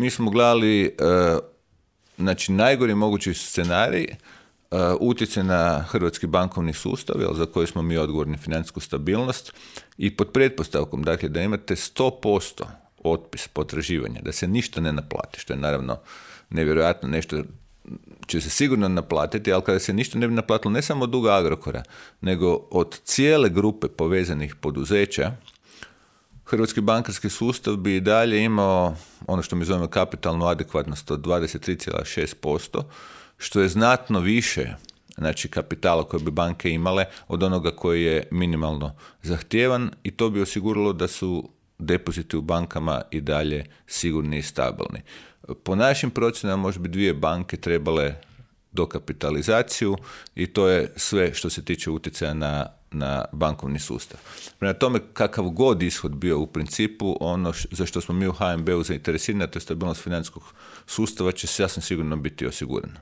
Mi smo gledali znači najgori mogući scenarij, utjecaj na hrvatski bankovni sustav, za koji smo mi odgovorni financijsku stabilnost i pod pretpostavkom dakle, da imate 100% otpis potraživanja, da se ništa ne naplati, što je naravno nevjerojatno, nešto će se sigurno naplatiti, ali kada se ništa ne bi naplatilo ne samo od duga Agrokora, nego od cijele grupe povezanih poduzeća, hrvatski bankarski sustav bi i dalje imao ono što mi zovemo kapitalnu adekvatnost od 23,6%, što je znatno više znači kapitala koje bi banke imale od onoga koji je minimalno zahtjevan i to bi osiguralo da su depoziti u bankama i dalje sigurni i stabilni. Po našim procjenama možda bi 2 banke trebale dokapitalizaciju i to je sve što se tiče utjecaja na bankovni sustav. Prema tome, kakav god ishod bio u principu, ono za što smo mi u HNB-u zainteresirani, to je stabilnost financijskog sustava, će sasvim sigurno biti osigurano.